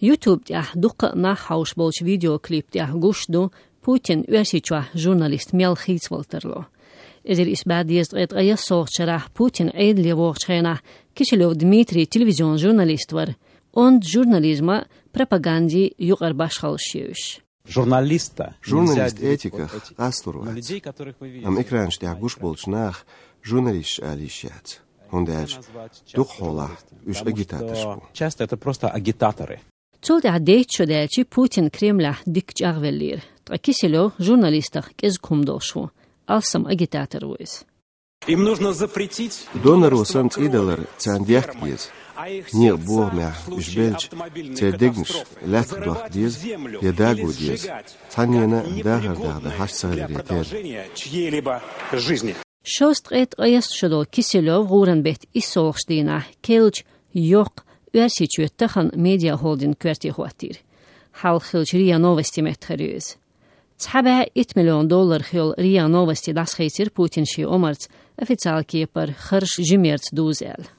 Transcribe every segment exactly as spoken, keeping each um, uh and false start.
YouTube тӀехь дуккха а нах хьовш болчу видеоклип тӀехь гуш ду Путин Оьрсийчохь журналист мел хийцавала тарло. Эзар исс бӀе дезткъе ткъе ялхолгӀачу шарахь Путин Ӏедале вогӀучу хенахь Киселёв Дмитрий телевизион журналист вара, онда журнализма, пропагандин юкъара башхаллаш ю уьш. Журналист этиках къастор вац. Амма экранаш тӀехь гуш болчу нах журналисташ ала йиш яц. ХӀунда аьлча дукха хьолахь уьш агитаторш бу. Часто это просто агитаторы. Цул тӀаьхьа дейтта шо даьлча Путин Кремлехь дика чӀагӀвеллера. Ткъа Киселёв журналистах кӀезиг хӀума долуш ву, алсам агитатор ву иза. Им нужно запретить. Донаро санна цӀийдалар царна дехка деза. Некъа бохамехь уьш белча, церан дегнаш лаьцна дохка деза я даго деза. Цхьаннена дахар дахдан хьаш ца хиларе терра. Шовзткъе ткъайесна шо долу Киселёв гӀуран беттан иссалгӀачу дийнахь керлачу йоккха Оьрсийчоь тахана медиахолдинг коьрте хӀоттийра. Хьалха хиллачу РИА Новости меттахъара ю иза. Цхьа бӀе итт миллион долларах йолу РИА Новости дӀасахийцира Путин шен омарца, официал кепара харжа жимерца дуза аьлла.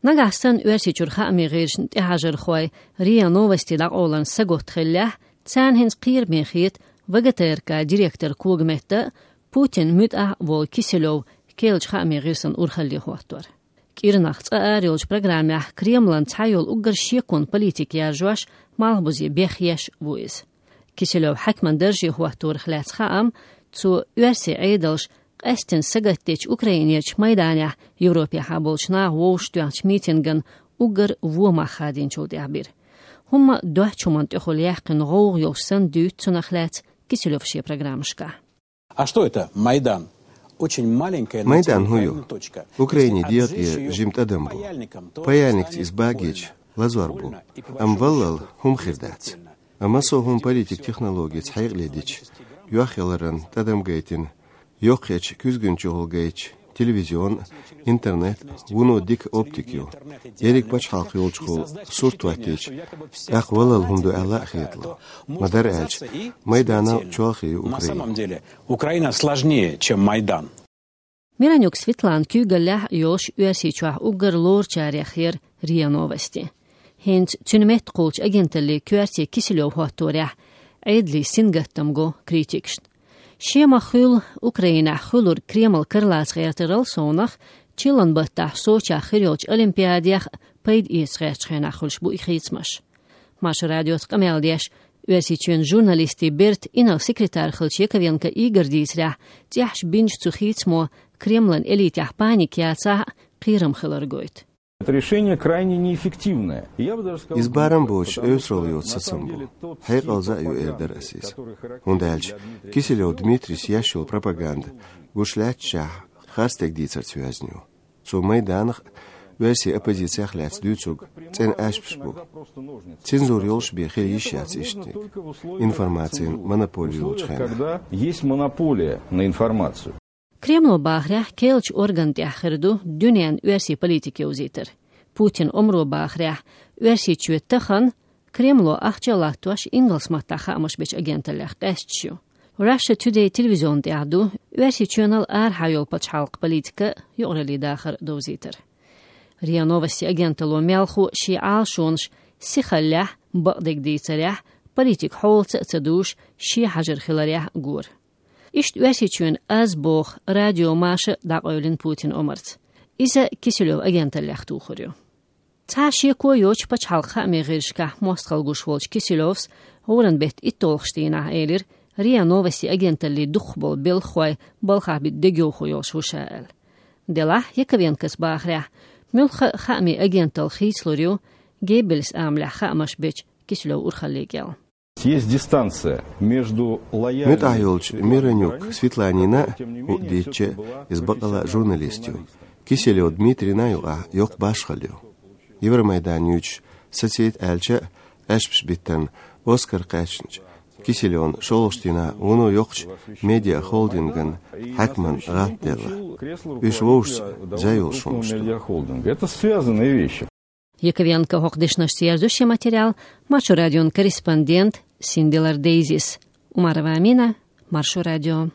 Нагахь санна Оьрсийчуьра хаамийн гӀирсашна тӀехьажархой РИА Новости дӀакъовларна сагатта хиллехь, царна хӀинца кхераме хета ВГТРК директор когаметта а, Путин муьтӀахь а волу Киселёв керлачу хаамийн гӀирсан урхалле хӀоттор. КӀирнах цкъа ара йолчу программехь Кремлан цхьайолу уггар шекон политика яржош, малхбузе бехъеш ву иза. Киселёв хьаькаман дарже хӀотторах лаьцна хаам, цо оьрсийн Ӏедалш къаьсттина сагатдечу Украинерчу Майданехь Европехьа болчу наха вовшахтоьхначу митинган уггар вон мах хадийначул тӀаьхьа бира. ХӀумма доцчу хӀуманна тӀехула яьккхина гӀовгӀа йолуш санна дуьйцу цунах лаьцна Киселёва шен программашкахь. А что это Майдан? Очень маленькая, но Майдан хӀун ю? Украине дегӀан тӀе жима тӀадам бу. Паяльникца иза багийча, лазор бу. Амма валлал хӀума хир дац. Амма со хӀума политик технологица хьекъале дича, йохъяларан тӀадам гайтина, йоккхачу куьзган чухула гайтча, телевизион, интернет, вуно дика оптика ю. Ерриг пачхьалкх йолчухула сурт хӀоттийча, тӀаккха валлал хӀума ду аьлла а хетало. Ма-дарра аьлча, Майданал чолхе ю Украина. На самом деле, Украина сложнее, чем Майдан. Миронюк Светлана куьйгаллехь а йолуш Оьрсийчохь уггар лоручарех яра РИА Новости. ХӀинца цуьнан метта кхуллучу агенталлин коьрте Киселёв хӀотторехь Ӏедалан сингаттам го критикашна. Шен ма-хуьллу Украинехь хуьлург Кремль каралаца гӀертарал совнах, чиллан баттахь Сочехь хир йолчу Олимпиадех пайда эца гӀертачу хенахь хуьлуш бу и хийцамаш. Маршо радиоца къамел деш, Оьрсийчоьнан журналистийн бертан инарла секретарь хиллачу Яковенко Игоря дийцарехь, цӀехьаш бинчу цу хийцамо Кремлан элитехь паника яцахь а, кхерам хилар гойту. Это решение крайне неэффективное. Я бы даже сказал, Иза барам боцуш эвсаралла йоцу сацам бу. Хьекъалза а ю эр дара ас иза. ХӀунда аьлча Киселёв Дмитрийс еш йолу пропаганда гуш лаьтташехь харцдерг дийцарца йоьзна ю. Цо Майданах а, оьрсийн оппозициях а лаьцна дуьйцург цӀена аьшпаш бу. Цензура йолуш бен хила йиш яц иштаниг, информацин монополия йолчу хенахь. Когда есть монополия на информацию. Кремло бахарехь, керлачу орган тӀехь хир ду дуьненан оьрсийн политика йовзийтар. Путин омро бахарехь, Оьрсийчоь тахана Кремло ахча а латтош ингалс маттахь хаамаш бечу агенталлех къаьсташ ю. Russia Today телевизион тӀехь ду Оьрсийчоьнал арахьа йолу пачхьалкхан политика, юкъараллин дахар довзийтар. РИА Новости агенталло мелхо шен Ӏалашонаш сихаллехь, бакъдерг дийцарехь, политика хьолаца а ца душ, шен хьажар хиларехь а гора. Иштта Оьрсийчоьнан «Аз» боху радио маша дӀакъевлина Путин омарца. Иза Киселёв агенталлех тухур ю. Цхьа шеко йоцуш пачхьалкхан хаамийн гӀирсашкахь мостагӀалла гуш волчу Киселёвс гӀуран беттан итталгӀачу дийнахь элира, РИА Новости агенталлин дукхахболу белхахой балхахь бита дегайовхо йолуш ву ша аьлла. Делахь, Яковенкос бахарехь, муьлхха а хаамийн агенталла хийцалур ю Геббельс амалехь хаамаш бечу Киселёв урхаллин кӀел. Есть дистанция между лояльными... МуьтӀахь йолчу Миронюк Светланина а, хӀуъа дийцча, иза бакъала а журналист ю, Киселёв Дмитрийна а юкъахь йоккха башхалла ю. Евромайдан юьйцуш сацийта аьлча а, аьшпаш биттарна Оскар кхаьчначу Киселёвна шолгӀачу дийнахь вуно йоккхачу медиахолдинган хьаькаман гӀантделла. Уьш вовшашца зай йолуш хӀуманаш ду. Медиахолдинг. Это связанные вещи. Яковенко хӀокху дешнашца ерзо шен материал Маршо радион корреспондент Синдилар Дейзис. Умарова Амина, Маршо радио.